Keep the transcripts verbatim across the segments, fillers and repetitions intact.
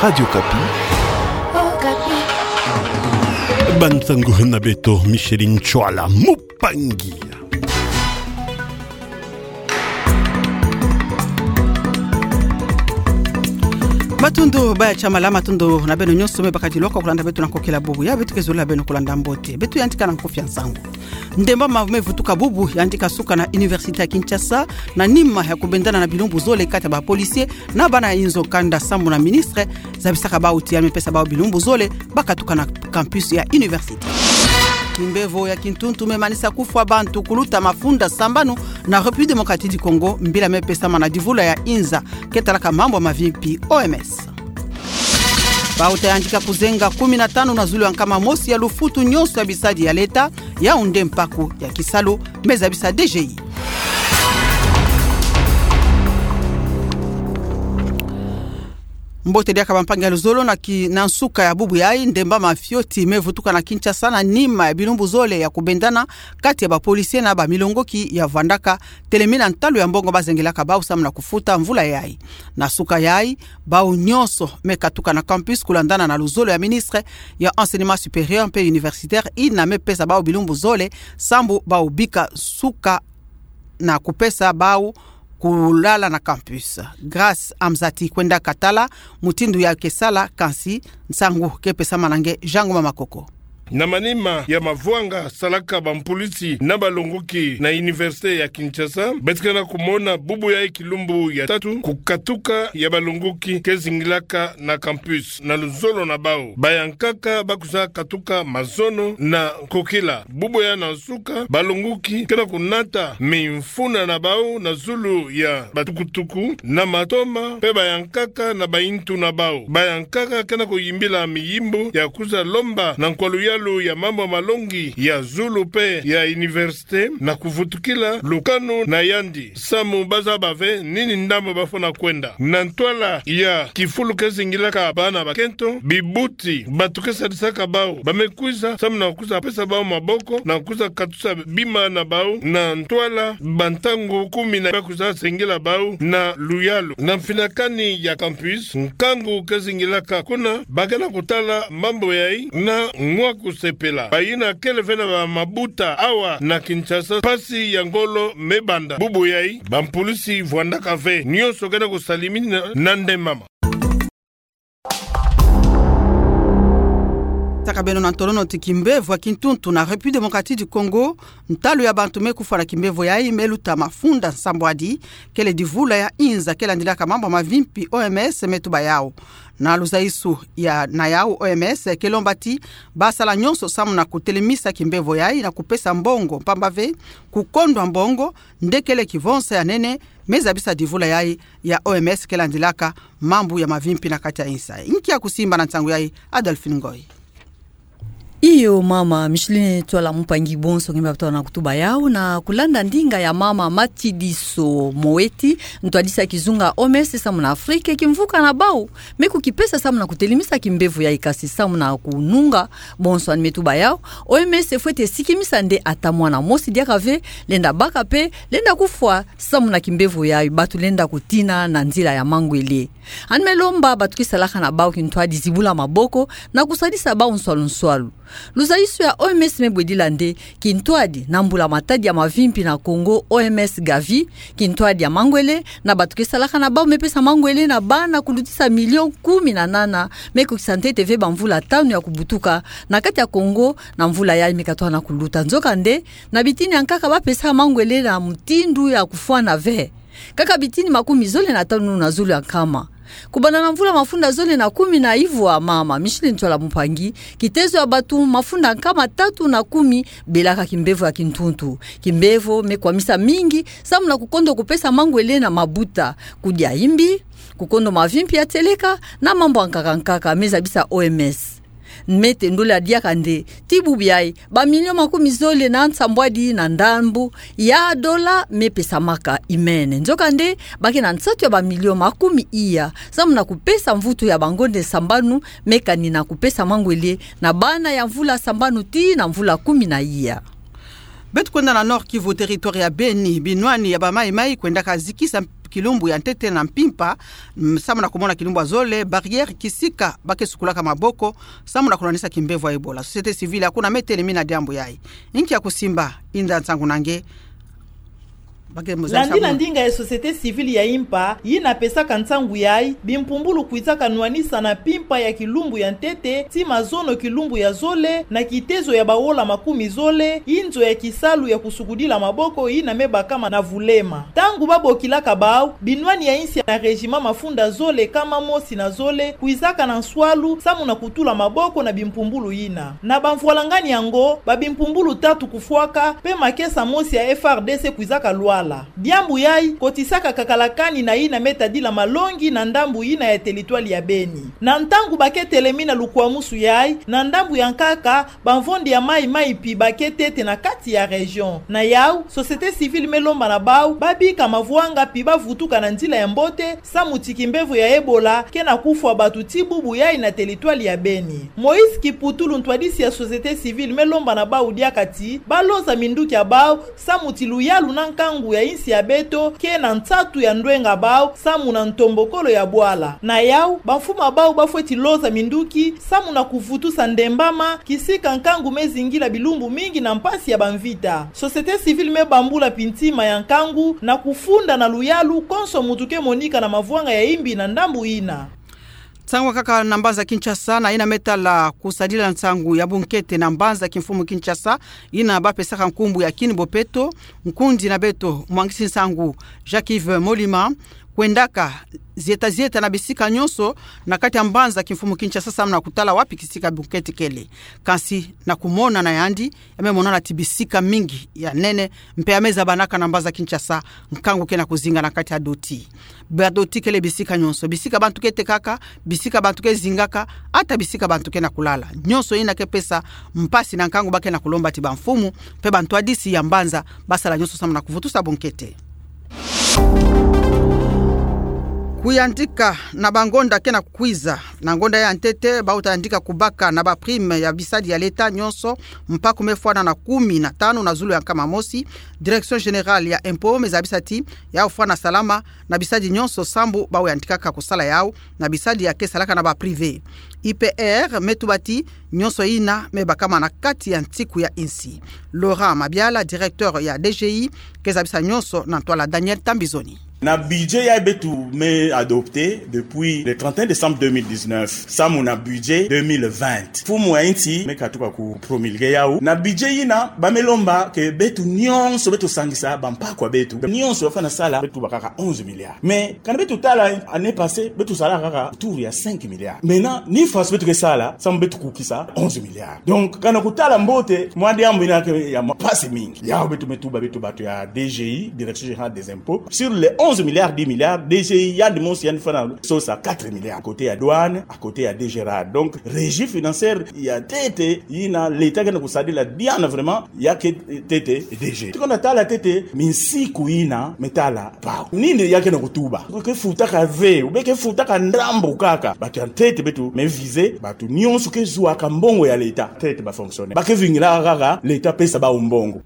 Radio Okapi. Okapi. Ba nsangu na beto, Micheline Ntsoila Mupangi. Matondo, baya tiamala, matondo na beno nyonso me bakadi lwaka kulanda beto na nkokila bubu ya beto ke zolila beno kulanda mbote. Beto yantika na nkofi ya nsangu. Ndemba ma me vutuka bubu, yantika suka na Université ya Kinshasa, na nima ya kubendana na bilumbu zole kati ya ba policiers na bana ya inzo kanda sambu na ministre, zabisaka bawu ti ya me pesa bawu bilumbu zole, bakatuka na campus ya université. Kimbevo ya kintuntu me manisa kufwa bantu kuluta mafunda sambanu na République Démocratique du Congo, mbila me pesama na divula ya inza ke talaka mambu ya mavimpi, O M S. Bauta yantika kuzenga kumi na tanu na zulu ya nkama mosi ya lufutu nyonso ya bisadi ya leta, yawu nde mpaku ya kisalu, me zabisa D G I. Mbote diaka bampangi ya luzolo, na ki-, na nsuka ya bubu yayi, ndemba ma fioti me vutuka na Kinshasa na nima ya bilumbu zole ya kubendana kati ya ba policiers na ba milongoki ya vwandaka telemi na ntalu ya mbongo bazengelaka bawu samu na kufuta mvula yayi. Na suka yayi, bawu nyonso me katuka na campus kulandana na luzolo ya ministre ya enseignement supérieur mpe universitaire, yina me pesa bawu bilumbu zole sambu bawu bika suka na kupesa bawu kulala na campus. Grâce Amzati kwendaka tala mutindu ya ke sala, kansi nsangu ke pesama na nge Jean Ngoma Makoko. Na manima ya mavwanga salaka bampulisi na balongoki na Université ya Kinshasa, beto ke na kumona bubu yayi kilumbu ya tatu kukatuka ya balongoki ke zingilaka na campus na luzolo na bawu. Bayankaka ba kwiza katuka mazono na nkokila. Bubu ya na nsuka, balongoki ke na kunata mimfuna na bawu na zulu ya batukutuku na matoma, mpe bayankaka na bayintu na bawu. Bayankaka ke na kuyimbila miyimbu ya kwiza lomba na nkwa luyalu ya mambu ya malongi ya zulu mpe ya université na kuvutukila lukanu na yandi, samu ba zaba ve nini ndambu ba fwana kwenda. Na ntwala ya kifulu ke zingilaka bana bakento, bibuti, bantu ke sadisaka bawu, ba me kwiza samu na kwiza pesa bawu maboko, na kwiza katusa bima na bawu, na ntwala bantangu kumi na ba kwiza zengela bawu na luyalu. Na mfinakani ya campus, nkangu ke zingilaka kuna, ba ke na kutala mambu yayi na mwa kusepela. Bayina kele ve na bamabuta awa na Kinshasa, mpasi ya ngolo me banda. Bubu yayi, bampulisi vwandaka ve, nyonso ke na kusalimina na ndemba ma. Taka beno na ntolongo ti kimbevo ya kintuntu na République Démocratique du Congo, ntalu ya bantu me kufwa na kimbevo yayi me luta mafunda nsambwadi, kele divula ya inza ke landilaka mambu ya mavimpi, O M S, me tuba yawu. Na luzaisu ya na yawu, O M S ke lomba ti ba sala nyonso samu na kutelemisa kimbevo yayi na kupesa mbongo, mpamba ve kukondwa mbongo nde kele kivonsa ya nene me zabisa divula yayi ya O M S ke landilaka mambu ya mavimpi na kati ya insi. Nkia kusimba na nsangu yayi, Adolphine Ngoy? Iyo, mama Micheline Ntsoila Mupangi, bonso nge me bato na kutuba yawu, na kulanda ndinga ya mama Matshidiso Moeti, ntwadisi ya kizunga O M S samu na Afrique, kimvuka na bawu me kukipesa samu na kutelemisa kimbevo yayi, kansi samu na kununga bonso ani me tuba yawu, O M S fwete sikimisa nde ata mwana mosi diaka ve lenda baka mpe lenda kufwa samu na kimbevo yayi, bato lenda kutina na nzila ya mangwele. Ani me lomba bato ke salaka na bawu kintwadi zibula maboko na kusadisa bawu nswalu nswalu. Luzaisu ya O M S me bwedila nde kintwadi na mbula matadi ya mavimpi na Congo, O M S Gavi, kintwadi ya mangwele na bato ke salaka na bawu me pesa mangwele na bana kulutisa million kumi na nana me kukisa ntete ve bamvula tanu ya kubutuka na kati ya Congo na mvula yayi me katwana kuluta. Nzokande, na bitini ya nkaka ba pesa mangwele na mutindu ya kufwana ve kaka bitini makumi zole na tanu na zulu ya nkama. Kubanda na mvula mafunda zole na kumi na ivwa, mama Micheline Ntsoila Mupangi, kitezo ya bato mafunda nkama tatu na kumi belaka kimbevo ya kintuntu. Kimbevo me kwamisa mingi samu na kukondo kupesa mangwele na mabuta, kudia imbi, kukondo mavimpi ya tieleka, na mambu ya nkaka nkaka, me zabisa O M S. Me tendola diaka nde ti bubu yayi, ba million makumi zole na nsambwadi na ndambu ya dola me pesamaka imene. Nzokande, ba ke na nsatu ya ba million makumi iya samu na kupesa mvutu ya bangonde sambanu me kani na kupesa mangwele na bana ya mvula sambanu tii na mvula kumi na iya. Beto kwenda na Nord-Kivu, territoire ya Beni, binwani ya ba Maï-Maï kwendaka zikisa kilumbu ya ntete na mpimpa, mm, samu na kumona kilumbu ya zole, barrière kisika ba ke sukulaka maboko samu na kunwanisa kimbevo ya Ebola. Société civile ya kuna me telemina diambu yayi. Inki ya kusimba, inda nsangu na nge. Ba ke mozali. Landi samu na ndinga ya société civile ya impa, yina pesaka nsangu yayi, bimpumbulu kwizaka nwanisa na mpimpa ya kilumbu ya ntete tii mazono kilumbu ya zole, na kitezo ya bawola makumi zole, inzo ya kisalu ya kusukudila maboko yina me bakama na vulema. Ntangu ba bokilaka bawu, binwani ya insi na régiment mafunda zole kama mosi na zole kwizaka na nswalu samu na kutula maboko na bimpumbulu yina. Na bamvwalangani yango, ba bimpumbulu tatu kufwaka, mpe makesa mosi ya F R D C kwizaka lwala. Diambu yayi kotisaka kakalakani na yina me tadila malongi na ndambu yina ya teritware ya Beni. Na ntangu ba ke telemina lukwamusu yayi, na ndambu ya nkaka, bamvondi ya mayi-mayi pi ba ke ntete na kati ya région. Na yawu, société civile me lomba na bawu ba bika mavwanga pi ba vutuka na nzila ya mbote, samu ti kimbevo ya Ebola ke na kufwa bato tii bubu yayi na teritware ya Beni. Moïse Kiputulu, ntwadisi ya société civile, me lomba na bawu diaka ti ba loza minduki ya bawu, samu ti luyalu na nkangu ya insi ya beto ke na nsatu ya ndwenga bawu samu na ntombokolo ya bwala. Na yawu, bamfumu ya bawu ba fweti loza minduki samu na kuvutusa ndembama, kisika nkangu me zingila bilumbu mingi na mpasi ya bamvita. Société civile me bambula pi ntima ya nkangu na kufunda na luyalu konso muntu ke monika na mavwanga ya imbi na ndambu yina. Nsangu kaka na mbanza Kinshasa, na yina me tala kusadila nsangu ya bunkete na mbanza kimfumu Kinshasa, yina ba pesaka nkumbu ya Kin Bopeto, nkundi na beto mwangisi nsangu Jacques-Yves Molima kwendaka zieta-zieta na bisika nyonso na kati ya mbanza kimfumu Kinshasa samu na kutala wapi kisika bunkete kele. Kansi na kumona na yandi, ya me monana ti bisika mingi ya nene, mpe ya me zabanaka na mbanza Kinshasa, nkangu ke na kuzinga na kati ya doti. Ba doti kele bisika nyonso, bisika bantu ke tekaka, bisika bantu ke zingaka, ata bisika bantu ke na kulala. Nyonso yina ke pesa mpasi na nkangu. Ba ke na kulomba ti bamfumu mpe bantwadisi ya mbanza ba sala nyonso samu na kuvutusa bunkete. Kuyandika na bangonda ke na kukwiza. Na ngonda ya ntete, ba uta yandika kubaka na ba prime ya bisadi ya leta nyonso, mpaku me fwana na kumi na tanu na zulu ya nkama mosi. Direction générale ya impôt me zabisa ti ya ufwana salama na bisadi nyonso sambu ba uyandikaka kusala yawu na bisadi ya ke salaka na ba privé. I P R me tuba ti nyonso yina me bakama na kati ya nsiku ya insi. Laurent Mabiala, directeur ya D G I, ke zabisa nyonso na ntwala Daniel Tambizoni. Na budget yayi beto me adopter depuis le trente et un décembre deux mille dix-neuf, samu na budget deux mille vingt, mfumu ya insi me katuka ku promulguer yawu. Na budget yina ba me lomba ke beto nyonso, beto sangisa bampaku ya beto nyonso, ba fwana sala, beto baka kaka onze milliards. Mais kana beto tala année passée, beto sala kaka autour ya cinq milliards. Maintenant, nini faso beto ke sala samu beto kukisa onze milliards? Donc, kana kutala mbote, mwa diambu yina ke ya mpasi mingi. Yawu beto me tuba, beto bato ya D G I, Direction Générale des Impôts, sur les onze milliards, dix milliards, D G I yandi mosi yandi fwana sosa quatre milliards. À côté ya douane, à côté ya D G rad. Donc, régie financière ya ntete yina leta ke na kusadila diana vraiment, ya ke ntete D G. Tuka na tala ntete minsiku yina me tala bawu, nini ya ke na kutuba? Ke futaka ve, ou bien ke futaka ndambu kaka? Bato ya ntete beto me viser bato nyonso ke zuaka mbongo ya leta, ntete ba fonctionnaires. Ba ke vingila kaka leta pesa bawu mbongo.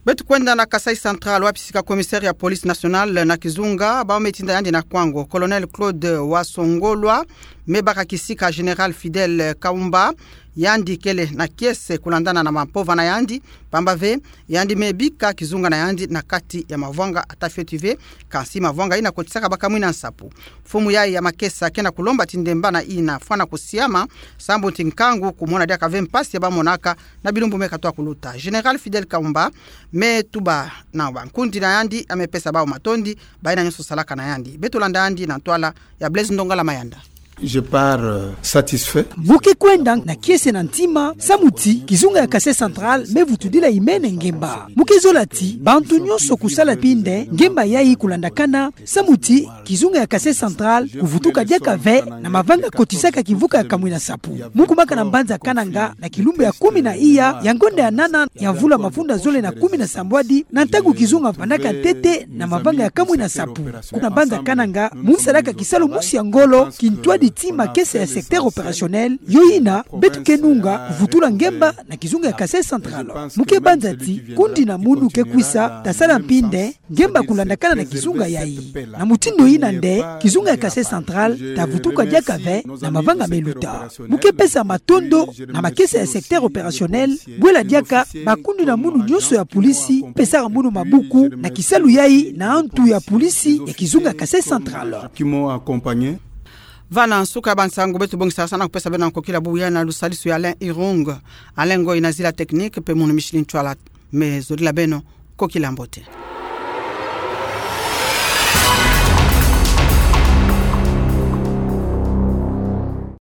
Beto kwenda na Kasaï Central, wapi sika commissaire ya police nationale na kizunga, bawu me tinda yandi na kwango. Colonel Claude Wasongolwa me baka kisika Général Fidèle Kaumba, yandi kele na kiese kulandana na mampova na yandi, pamba ve yandi me bika kizunga na yandi na kati ya mavwanga ata fioti ve. Kansi mavwanga yina kotisaka ba kamwina nsapu. Mfumu yayi ya makesa ke na kulomba ti ndemba na yina fwana kusiama, sambu ti nkangu kumona diaka ve mpasi ya ba monaka na bilumbu me katoa kuluta. Général Fidèle Kaumba me tuba na bankundi na yandi, ya me pesa bawu matondi, bayina nyonso salaka na yandi. Beto landa yandi na ntwala ya Blaise Ndongala Mayanda. Je pars, euh, satisfait. Mu ke kwenda na kiese na ntima, samu ti kizunga ya Kasaï Central me vutudila imene ngemba. Mu ke zola ti bantu nyonso kusala pi nde ngemba yayi kulandakana, samu ti kizunga ya Kasaï Central kuvutuka diaka ve na mavanga kotisaka kimvuka ya kamwina nsapu. Mu kumaka na mbanza Kananga na kilumbu ya kumi na iya ya ngonda ya nana ya mvula mafunda zole na kumi na sambwadi, na ntangu kizunga vandaka ntete na mavanga ya kamwina nsapu. Kuna mbanza Kananga, mu nsalaka kisalu mosi ya ngolo, kintwadi Ti makesa ya secteur opérationnel yo ina beto ke nunga kuvutula ngemba na kizunga ya Kasaï Central. Mu ke banza ti kundi na munu ke kwisa ta sala mpi nde ngemba kulandakana na kizunga yayi. Na mutindu ina nde kizunga ya Kasaï Central ta vutuka diaka ve na mavanga meluta. Mu ke pesa matondo na makesa ya secteur opérationnel, bwela diaka bakundi na munu nyonso ya pulisi, pesaka munu mabuku na kisalu yayi na antu ya pulisi ya kizunga ya Kasaï Central. Va na nsuka ya bansangu beto bongisaka sana kupesa beno na kokila bubu ya na lusadisu ya Alain Irung. Alain ngoi na zila technique mpe munu Micheline Ntwala. Me zodila beno kokila mbote.